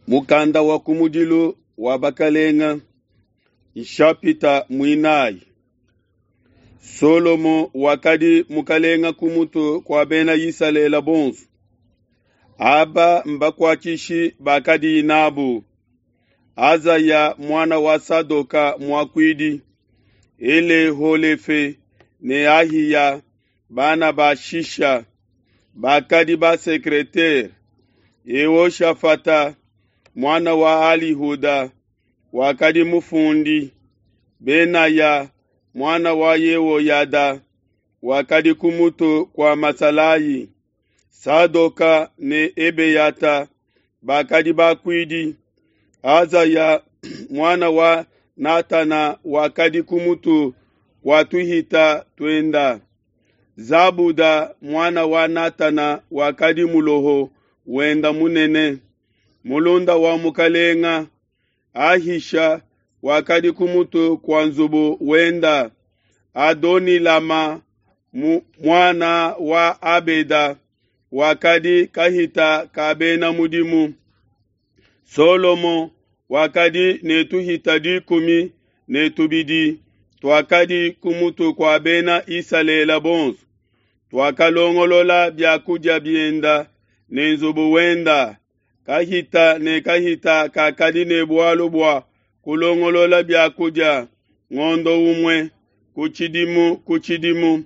Mukanda wa kumudilu wa bakalenga, nshapita muinayi. Solomo wakadi mukalenga ku mutu kua bena Isalele bonso. Aba mbakuatshishi bakadiye nabu: Azaya muana wa Sadoka muakuidi, Eleholefe ne Ahiya bana ba Shisha bakadi basekretere, Yehoshafata muana wa Alihuda wakadi mufundi, Benaya muana wa Yehoyada wakadi ku mutu kua masalayi, Sadoka ne Ebeyata bakadi bakuidi, Azaya muana wa Natana wakadi ku mutu kua tuhita tuenda, Zabuda muana wa Natana wakadi muloho wenda munene, mulunda wa mukalenga, Ahisha wakadi ku mutu kua nzubu wenda, Adonilama muana wa Abeda wakadi kahita ka bena mudimu. Solomo wakadi ne tuhita 12 tuakadi ku mutu kua bena Isalele bonso, tuakalongolola bia kudia bienda ne nzubu wenda. Kahita ne kahita kakadi ne bualu bua kulongolola bia kudia ngondo umue ku tshidimu ku tshidimu.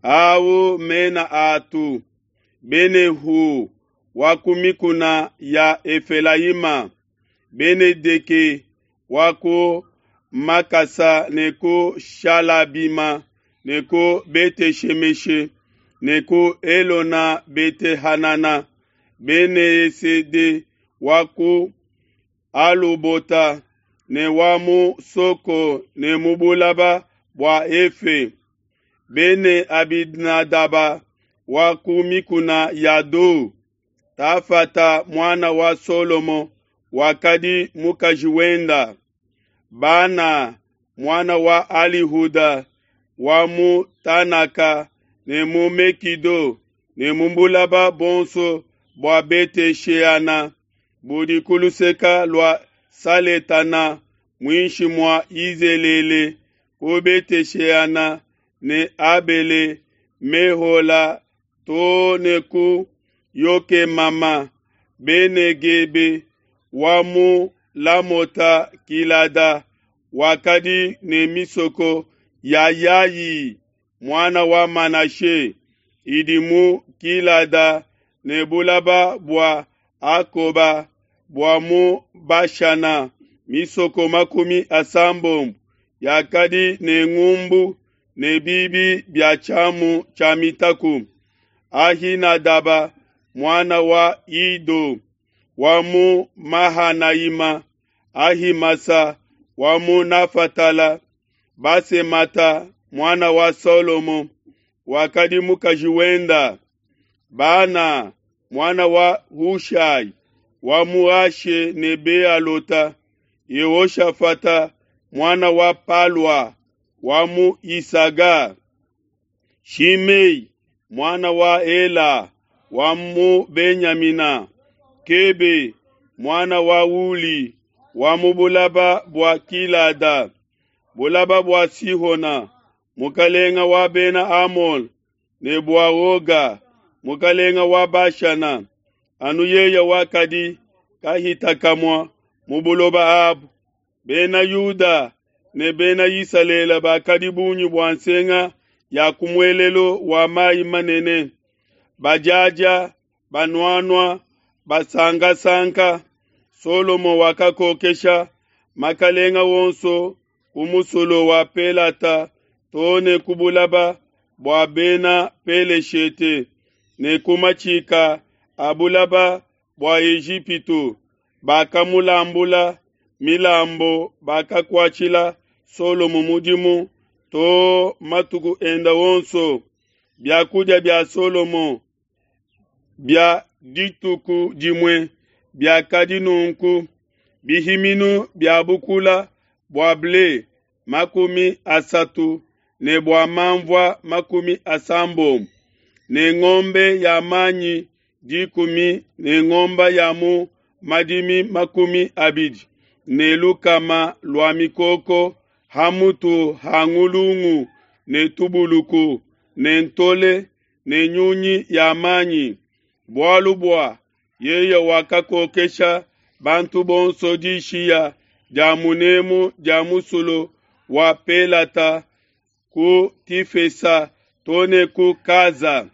Awu mena atu: Benehu wa ku mikuna ya Efelayima, Benedeke wa ku Makasa ne ku Shalabima ne ku Bete-Shemeshe ne ku Elona Bete-Hanana, Bene-Esede wa ku Alubota ne wa mu Soko ne mu bulaba bua Efe, Bene-Abinadaba wa ku mikuna ya Do, Tafata muana wa Solomo wakadi mukaji wenda, Bana muana wa Alihuda wa mu Tanaka ne mu Mekido ne mu bulaba bonso bua Bete-Sheana budi ku luseka lua Saletana muinshi mua Yizelele ku Bete-Sheana ne Abele Mehola too ne ku Yokemama, Benegebe wa mu Lamota Gilada wakadi ne misoko ya Yayi muana wa Manashe idi mu Gilada ne bulaba bua Akoba bua mu Bashana, misoko 80 yakadi ne ngumbu ne bibi bia tshiamu tshia mitaku. Ahinadaba muana wa Ido wa mu Mahanayima, Ahimasa wa mu Nafatala, Basemata muana wa Solomo wakadi mukaji wenda, Bana muana wa Hushai wa mu Ashe ne Bealota, Yehoshafata muana wa Palua wa mu Isaga, Shimei muana wa Ela wa mu Benyamina, Kebe muana wa Uli wa mu bulaba bua Gilada, bulaba bua Sihona mukalenga wa bena Amole ne bua Oga mukalenga wa Bashana, anu yeye wakadi kahita kamua mu buloba abu. Bena Yuda ne bena Isalele bakadi bungi bua nsenga ya ku muelelu wa mayi manene, badiadia, banuanua, basankasanka. Solomo wakakokesha makalenga wonso ku musulu wa Pelata too ne ku bulaba bua bena Peleshete ne ku matshika a bulaba bua Ejipitu. Bakamulambula milambo, bakakuatshila Solomo mudimu too matuku enda wonso. Biakudia bia Solomo bia dituku dimue biakadi nunku: bihiminu bia bukula bua ble 30 ne bua manvua 80, ne ngombe ya manyi 10 ne ngombe ya mu madimi 200 lua mikoko ha mutu ha ngulungu ne tubuluku ne ntole ne nyunyi ya manyi, bualu bua yeye wakakokesha bantu bonso dishiya dia munemu dia musulu wa Pelata ku Tifesa to ne ku Kaza.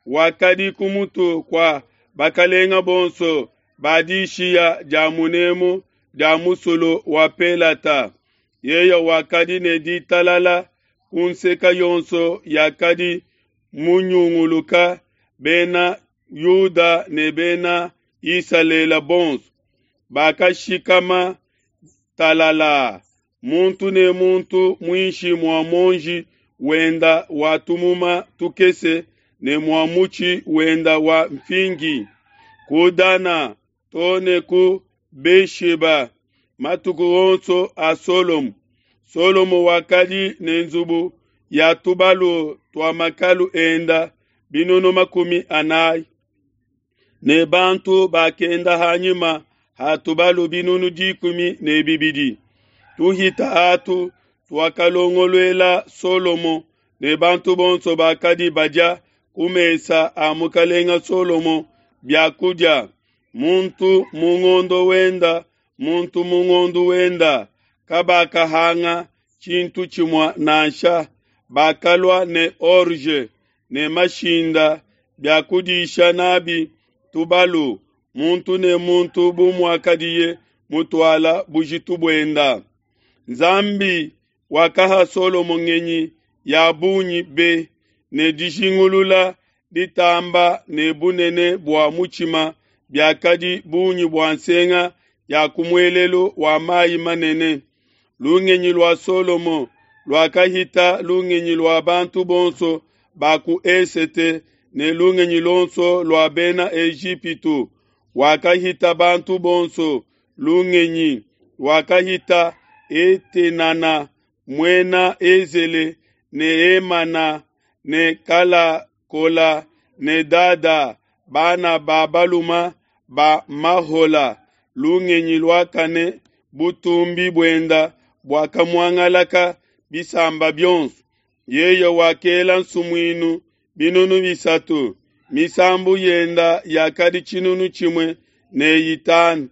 Wakadi ku mutu kua bakalenga bonso ba dishiya dia munemu dia musulu wa Pelata. Yeye wakadi ne ditalala ku nseka yonso yakadi munyunguluka bena Yuda ne bena Isalele bonso bakashikama talala, muntu ne muntu muinshi mua muonji wenda wa tumuma tukese ne mua mutshi wenda wa mfingi, ku Dana to ne ku Besheba, matuku onso a Solomo. Solomo wakadi ne nzubu ya tubalu tua makalu enda 400 ne bantu bakenda hanyima ha tubalu 12,000. Tuhita atu tuakalongoluela Solomo ne bantu bonso bakadi badia ku mesa a mukalenga Solomo biakudia, muntu mu ngondo wenda, muntu mu ngondo wenda, kabakahanga tshintu tshimue nansha. Bakalua ne orge ne mashinda bia kudisha nabi tubalu, muntu ne muntu bu muakadiye mutuala bujitu buenda. Nzambi wakaha Solomo ngenyi ya bungi be ne dijingulula ditamba ne bunene bua mutshima biakadi bungi bua nsenga ya ku muelelu wa mayi manene. Lungenyi lua Solomo luakahita lungenyi lua bantu bonso ba ku esete ne lungenyi luonso lua bena Ejipitu. Wakahita bantu bonso lungenyi, wakahita Etenana muena Ezele ne Emana ne Kalakola ne Dada, bana ba baluma ba Mahola. Lungenyi luakane butumbi buenda buakamuangalaka bisamba bionso. Yeye wakela nsumuinu 300, misambu yenda yakadi 105.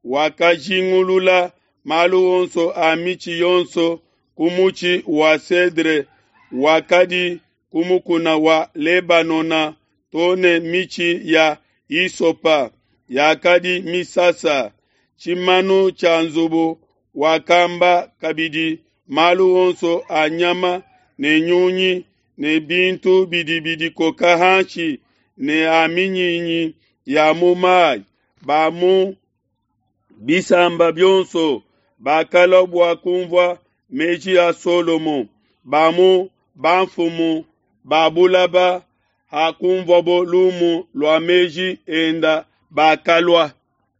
Wakajingulula malu onso a mitshi yonso ku mutshi wa cedre wakadi ku mukuna wa Lebanona to ne mitshi ya isopa yakadi misasa. Tshimanu tshia nzubu wakamba kabidi malu onso a nyama ne nyunyi ne bintu bidi bidikoka hanshi ne a minyinyi ya mu mayi. Ba mu bisamba bionso bakalua bua kumvua meji a Solomo. Ba mu bamfumu ba bulaba hakumvuabo lumu lua meji enda bakalua.